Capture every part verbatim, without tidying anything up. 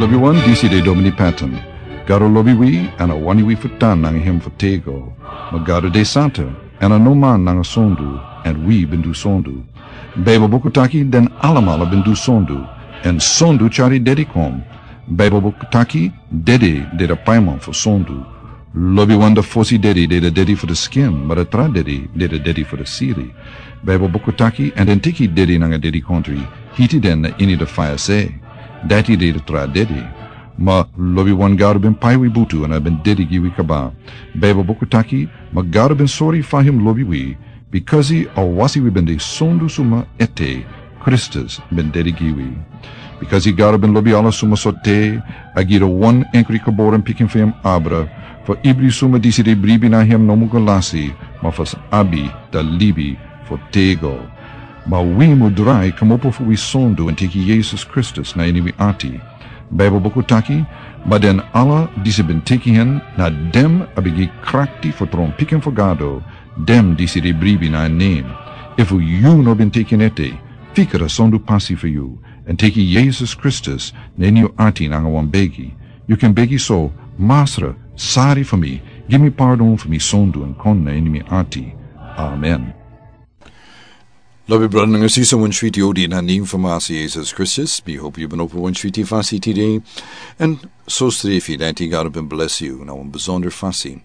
Lobi wan, disi de Domini Patton. Gado lobi wi, èn a wani wi fu tan nanga hem fu tego. Ma Gado de santa, èn a no man nanga sondu, èn wi ben du sondu. Baibel buku taki den alamala ben du sondu, èn sondu tyari dedi kon. Baibel buku taki dedi de da paiman fu sondu. Lobi wan, da fosi dedi de da dedi fu da skin, ma da tra dedi de da dedi fu da siri. Baibel buku taki, èn den teki dedi nanga dedi kontri, hiti den na ini da faya se. Dati de da tra dedi. Ma lobi wan, Gado ben pai wi butu èn a ben dedi gi wi kaba. Baibel buku taki, ma Gado ben sori fa hem lobi wi, bikasi a wasi wi ben de sondu suma ete, Kristus ben dedi gi wi. Bikasi Gado ben lobi ala suma sortu, a gi da wan enkri geboren pikin fu hem abra, fu ibri suma disi de bribi na hem no mu go lasi, ma fu sa abi da libi fu tego. Ma wi mu drai kmopo fu wi sondu èn teki Yesus Kristus na ini wi ati. Baibel buku taki, ma den ala disi ben teki hen, na den a ben gi krakti fu tron pikin fu Gado, den disi de bribi na en nen. Efu yu no ben teki en ete, fika da sondu pasi fu yu, èn teki Yesus Kristus na ini yu ati nanga wan begi. Yu kan begi so: Masra, sari fu mi, gi mi pardon fu mi sondu èn kon na ini mi ati. Amen. Lobi brada nanga sisa, wan switi odi na nen fu Masra Yesus Kristus. Mi hopi yu ben opo wan switi fasi tide. Èn so strefi dati Gado ben blesi yu na wan besonder fasi.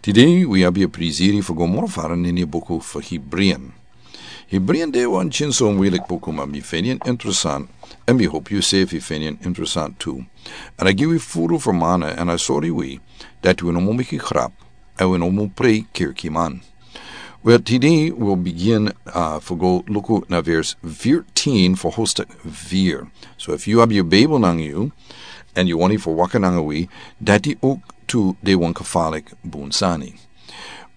Tide wi abi a priziri fu go moro fara na ini a buku fu Hebreeën. Hebreeën de wan kinso muilik buku, ma mi feni en interesant, èn mi hopi yu sefi feni en interesant tu. Èn a gi wi furu fermana, èn a sori wi dati wi no mu meki grap, èn wi no mu prei kerkiman. Wel, tide wi o bigin, uh, fu go luku na vers veertien fu hoofdstuk vier. So efu yu abi yu Bijbel nanga yu, èn yu wani fu waka nanga wi, dati ook tu de wan gevaarlijk bun sani.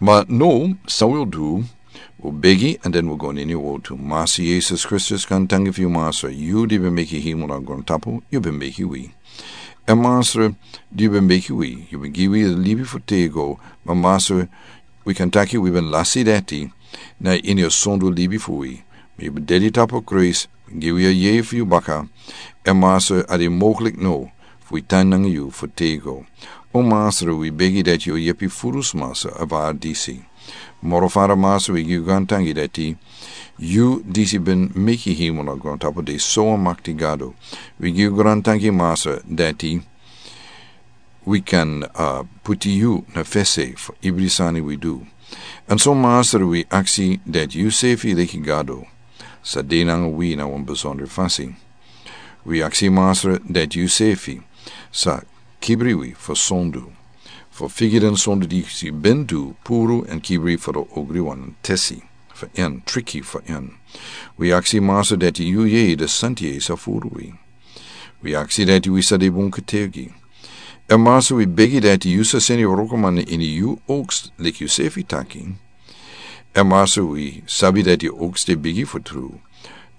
Ma now, san wi o du, wi o begi, èn den wi o go na ini a wortu. Masra Yesus Kristus, gaantangi fu yu, Masra, yu di ben meki hemel nanga grontapu, yu ben meki wi. Èn Masra, di yu ben meki wi, yu ben gi wi libi fu tego, ma Masra, wi kan taki wi ben lasi dati na ini a sondu libi fu wi. Ma yu ben dedi tapu a kruis, gi wi a yeye fu yu baka. Èn Masra, a de mogelijk now fu wi tan nanga yu fu tego. O Masra, wi begi dati yu o yepi furu sma sa ervara disi. Moro fara, Masra, wi gi yu gaantangi dati yu disi ben meki hemel nanga grontapu de so wan makti Gado. Wi gi yu gaantangi, Masra, dati wi kan, uh, puti yu na fesi fu ibri sani wi du. Èn so, Masra, wi aksi dati yu sefi leki Gado sa de nanga wi na wan besonder fasi. Wi aksi, Masra, dati yu sefi sa kibri wi fu sondu, fu figi den sondu disi ben du puru èn kibri fu den ogriwan tesi fu en, triki fu en. Wi aksi, Masra, dati yu yeye, da santi yeye, sa furu wi. Wi aksi dati wi sa de bun kategi. Èn Masra, wi begi dati yu sa seni wrokoman na ini yu oogst, leki yu sefi taki. Èn Masra, wi sabi dati yu oogst de bigi fu tru.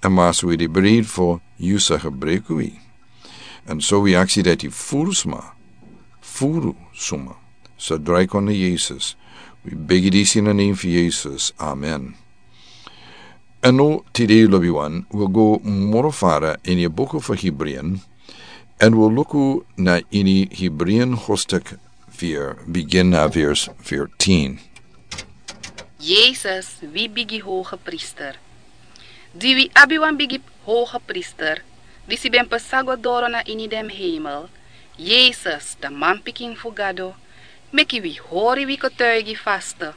Èn Masra, wi de breid fu yu sa gebruku wi. Èn so wi aksi dati furu sma, furu sma sa drai kon na Yesus. Wi begi disi na nen fu Yesus. Amen. Èn now, tide, lobiwan, wi o go moro fara ini a buku fu Hebreeën, èn wi o luku na ini Hebreeën hoofdstuk vier, bigin na vers veertien. Yesus, wi bigi hogepriester. Di wi abi wan bigi hogepriester, disi ben pasa go doro na ini den hemel, Yesus, da manpikin fu Gado, meki wi hori wi getuigi faste.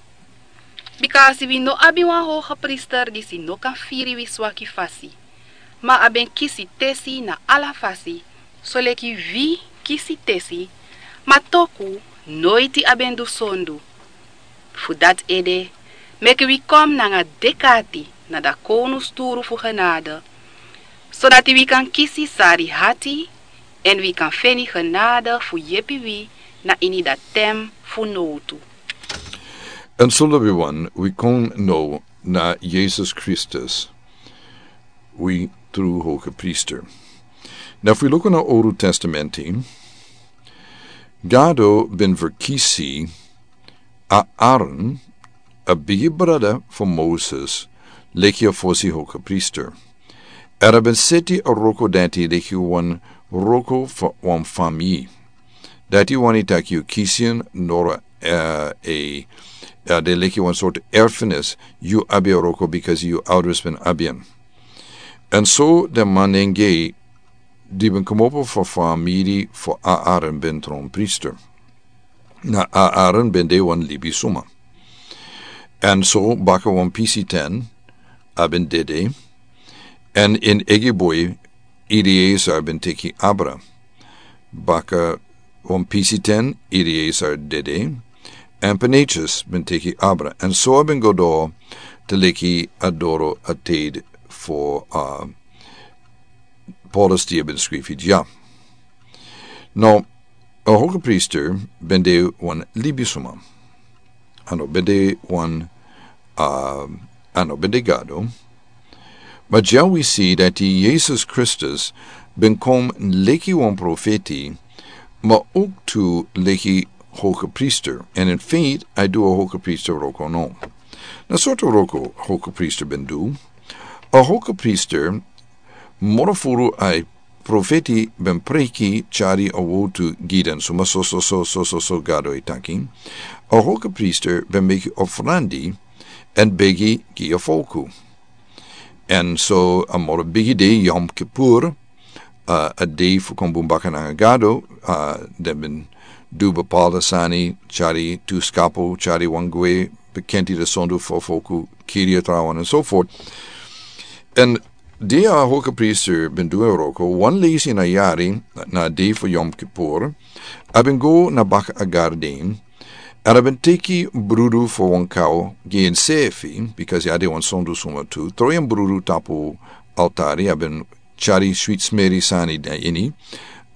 Bikasi wi no abi wan hogepriester disi no kan firi wi swaki fasi, ma a ben kisi tesi na ala fasi, soleki wi kisi tesi, ma toku noiti a ben du sondu. Fu dati ede, meki wi kon nanga dek'ati na da kownusturu fu genade, sodati wi kan kisi sari ati, èn wi kan feni genade fu yepi wi na ini da ten fu nowtu. Èn so, lobiwan, wi kon now na Yesus Kristus, wi tru hogepriester. Now, efu wi luku na Owru Testamenti, Gado ben verkisi Aaron, a bigi brada fu Moses, leki a fosi hogepriester. Èn a ben seti a wroko dati leki wan wroko fu wan famii. Dati wani taki yu kisi en noro, eh, e, eh, den leki wan sortu erfenis, yu abi a wroko bikasi yu ouders ben abi en. Èn so den man nanga en di ben komopo fu famii fu Aaron ben tron priester. Na Aaron ben de wan libisuma. Èn so baka wan pisi ten a ben dede. Èn en egi boi Eliezer ben teki abra. Baka wan pisi ten Eliezer dede. Èn Pinehas ben teki abra. Èn so a ben go doro te leki a doro a teid fu, uh, Paulus di a ben skrifi dya. Now, a hogepriester ben de wan libisuma. A no ben de wan, uh, a no ben de Gado. Ma dya wi si dati Yesus Kristus ben kon leki wan profeti, ma owktu leki hogepriester. Èn in feit, a du a hogepriester wroko no. Na sortu wroko hogepriester ben du. A hogepriester, moro furu a profeti ben preki, tyari a wowtu gi den suma so so so so so so Gado e taki. A hogepriester ben meki ofrandi èn begi gi a folku. Èn so a moro bigi dei Yom Kippur, uh, a dei fu kon bun baka nanga Gado, uh, den ben du bepaalde sani, tyari tu skapu, tyari wan gwe, bekenti de sondu fu a folku, kiri a trawan, and so forth. Èn di a hogepriester ben du en wroko, wan leisi na yari, na a dei fu Yom Kippur, a ben go na baka a garden, èn a ben teki brudu fu wan kaw gi ensefi, bikasi a de wan sondu suma tu, tron en brudu tapu altari, a ben tyari switi smeri sani na ini,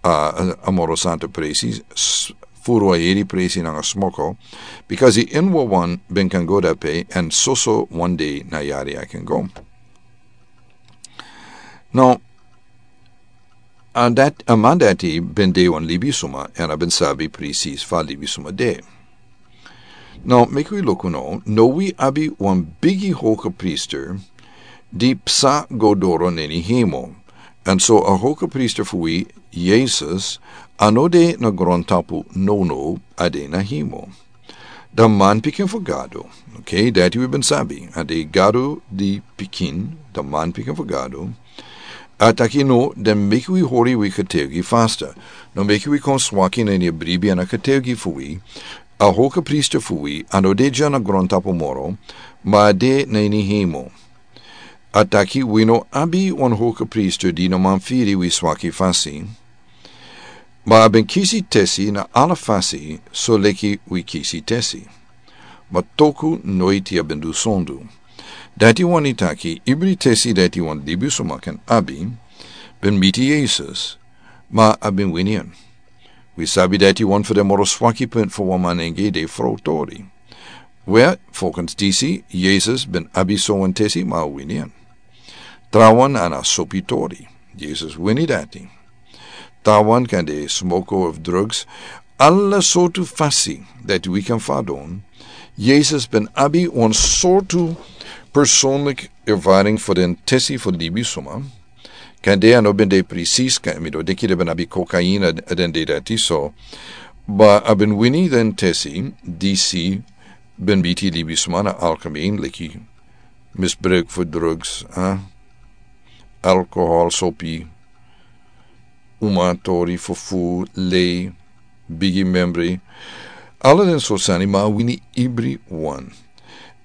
uh, a moro santa presi, s-, furu a heri presi nanga smoko, bikasi en wawan ben kan go dape, èn soso wan dei na yari a kan go. Now, a dat-, a man dati ben de wan libisuma, èn a ben sabi presis fa libisuma de. Now, meki wi luku now, now wi abi wan bigi hogepriester di psa go doro na ini hemel. Èn so a hogepriester fu wi, Yesus, a no de na grontapu, no, no, a de na hemel. Dan manpikin fu Gado. Okay, dati wi ben sabi. A de Gado di pikin, dan manpikin fu Gado. A taki no, dan meki wi hori wi kateogi fasta. No meki wi kon swaki na ini bribi èn a kateogi fu wi. A hogepriester fu wi, a no de dya na grontapu moro, ma a de na ini hemel. A taki wi no abi wan hogepriester di no man firi wi swaki fasi. Ma a ben kisi tesi na ala fasi, soleki wi kisi tesi. Ma toku noiti a ben du sondu. Dati wani taki, ibri tesi dati wan libisuma kan abi, ben miti Yesus, ma a ben wini en. Wi sabi dati wan fu den moro swaki punt fu wan man nanga de frow tori. Where, volgens disi, Yesus ben abi so wan tesi ma a wini en. Trawan na a sopi tori. Yesus wini dati. Trawan kan de smoko of drugs. Ala sortu fasi dati wi kan fadon. Yesus ben abi wan sortu persoonlik ervaring fu den tesi fu libisuma. Kan de a no ben de presis, kan mi no denki den ben abi kokaina den dei dati so. Ma a ben wini den tesi, disi ben miti libisuma na algemeen, leki misbruik fu drugs, eh? Alkohol, sopi, uma tori, fufu, lei, bigi membri. Ala den sortu sani, ma a wini ibri wan.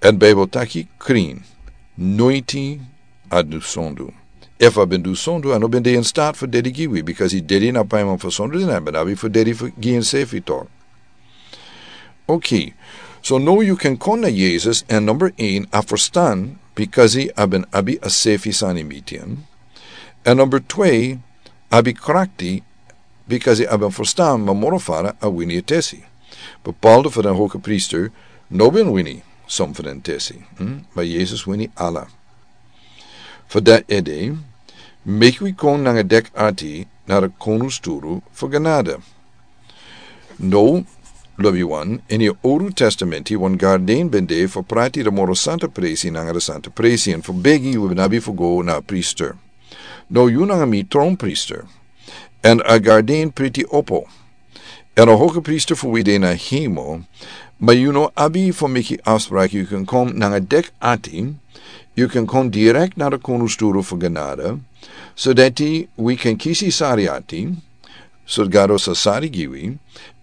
Èn Bijbel taki krin, noiti a du sondu. Efu a ben du sondu, a no ben de in staat fu dedi gi wi, bikasi a dedi na paiman fu sondu, dan a ben abi fu dedi fu gi ensefi tok. Okay, so now yu kan kon na Yesus, èn number een, a ferstan, bikasi a ben abi a sefi sani miti en. Èn number twee, a ben krakti, bikasi a ben ferstan, ma moro fara a wini a tesi. Bepaalde fu den hogepriester no ben wini som fu den tesi, hm? Ma Yesus wini ala. Fu dati ede, meki wi kon nanga dek ati na a Koningstoel fu genade. Now, lobi wan, ini a Owru Testamenti, wan garden ben de fu prati den moro santa presi nanga den santa presi, èn fu begi wi ben abi fu go na a priester. Now, yu nanga mi tron priester. èn a garden priti opo. Èn a hogepriester fu wi de na hemel. Ma yu no abi fu meki afspraki, yu kan kon nanga dek ati. Yu kan kon direkt na de koningsturu fu genade, sodati wi kan kisi sari ati, so Gado sa sari gi wi.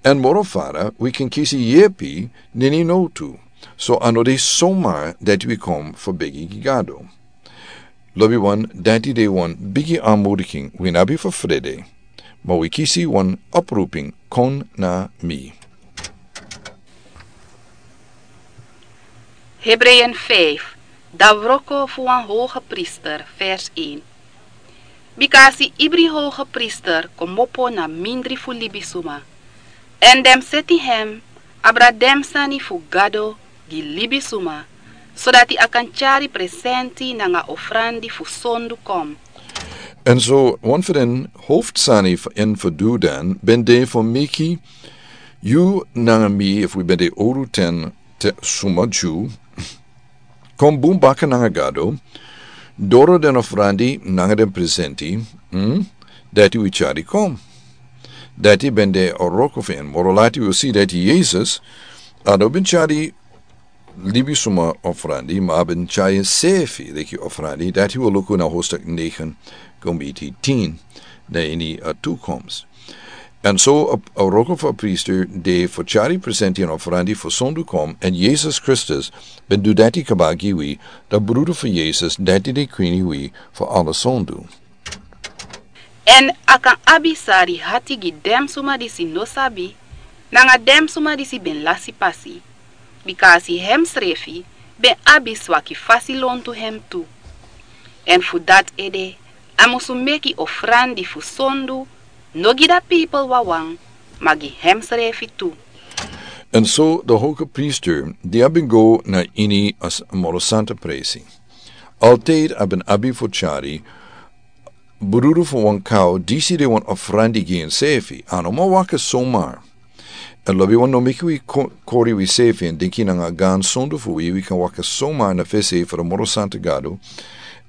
Èn moro fara wi kan kisi yepi nini no tu. So a no de somar dati wi kon fu begi gi Gado. Lobi wan, dati de wan bigi anmodiking. Wi no abi fu frede, ma wi kisi wan oproeping: kon na mi. Hebreeën vijf, da wroko fu wan hoge priester, vers één. Bika a si ibri hoge priester komopo na mindri fu libisuma. Èn den seti hem abra den sani fu Gado gi libisuma, sodati a kan tyari presenti nanga ofrandi fu sondu kom. Èn so wan fu den hoofdsani fu en fu du dan ben de fu meki yu nanga mi, efu wi ben de owru ten te suma Dyu, kon bun baka nanga Gado, doro den ofrandi nanga den presenti, hmm, dati wi tyari kon. Dati ben de a wroko fu en. Moro lati wi o si dati Yesus, a no ben tyari libisuma ofrandi, ma a ben tyari ensefi leki ofrandi. Dati wi o luku na hoofdstuk negen, go miti tien, na ini a toekomst. Èn so a, a wroko fu a priester de fu tyari presenti èn ofrandi fu sondu kom, èn Yesus Kristus ben du dati kaba gi wi, da brudu fu Yesus, dati de kwini wi fu ala sondu. Èn a kan abi sari hati gi den suma disi no sabi, nanga den suma disi ben lasi pasi, bika a si hemsrefi ben abi swaki fasi lontu hem tu. Èn fu dati ede, a musu meki ofrandi fu sondu, no gi da pipel wawan, ma gi hemsrefi tu. Èn so de hoge priester, di a ben go na ini a s-, moro santa presi, altijd a ben abi fu tyari brudu fu wan kaw, disi de wan ofrandi gi ensefi, a no man waka somar. Èn lobi wan, no meki wi ko-, kori wisefi èn denki nanga gan sondu fu wi, wi kan waka somar na fesi fu de moro santa Gado,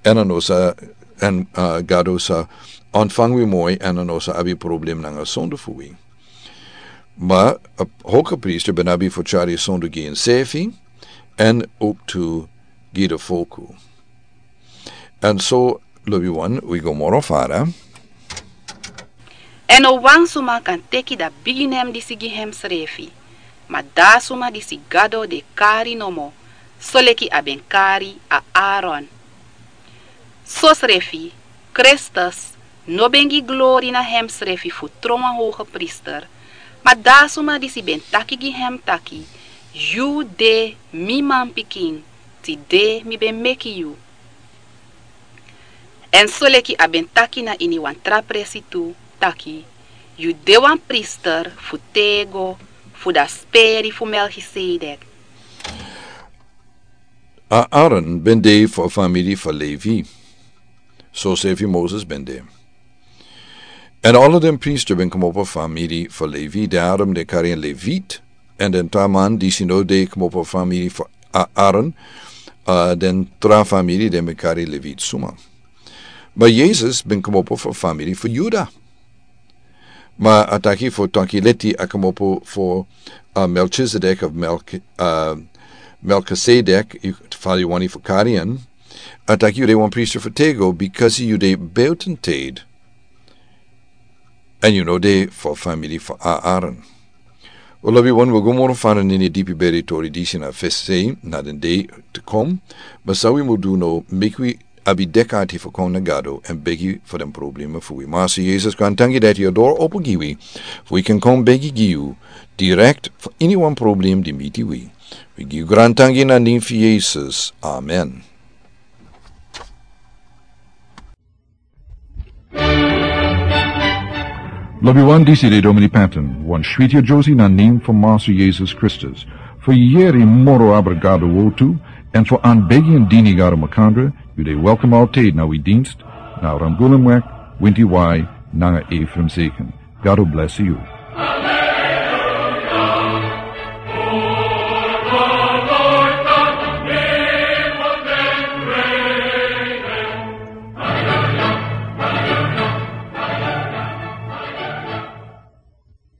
èn a no sa, èn, ah, Gado sa ontfang wi moi, èn a no sa abi problem nanga sondu fu wi. Ma a hoge priester ben abi fu tyari sondu gi ensefi, èn ook tu gi de folku. Èn so, lobi wan, wi go moro fara. Èn no wan suma kan teki da bigi nen disi gi hemsrefi, ma da suma disi Gado de kari nomo, soleki a ben kari Aaron. Sosrefi, Kristus no ben gi glori na hemsrefi fu tron wan hoge priester, ma da suma disi ben taki gi hem taki: Yu de mi manpikin, tide mi ben meki yu. Èn soleki a ben taki na ini wan tra presi tu, taki: Yu de wan priester fu tego fu da speri fu Melchisedek. Aaron ben de fu a famiri fu Levi, sosrefi Moses ben de. Èn ala den priester ben komopo famiri fu Levi, daarom den kari en Levit. Èn den tra man disi no de komopo famiri fu A-, Aaron, ah, den tra famiri den ben kari Levit suma. Ma Yesus ben komopo fu famiri fu Yuda. Ma a taki fu taki leti a komopo fu, ah, Melchizedek of Melch-, ah, Melchisedek, yu, fa yu wani fu kari en. A taki yu de wan priester fu tego, because yu de buiten tijd. Èn yu no de fu famiri fu A-, Aaron. Wel, lobi wan, wi go moro fara na ini a dipi beri tori disi na fesi na den dei te kon. Ma san wi mu du now, meki wi abi dek ati fu kon na Gado èn begi fu den problema fu wi. Master Yesus, grantangi dati yu doro opo gi wi, fu wi kan kon begi gi yu direkt fu iniwan problem di miti wi. Wi gi yu grantangi na nen fu Yesus. Amen. Lobi wan, disi de Domini Patton, wan switi a Josie na nen fu Master Yesus Kristus. Fu yeri moro abra Gado wortu, èn fu anbegi èn dini Gado makandra, yu de welkom altijd na wi dienst, na Ramgulemweg, winti wai, nanga Ephraim Zeken. Gado bless yu.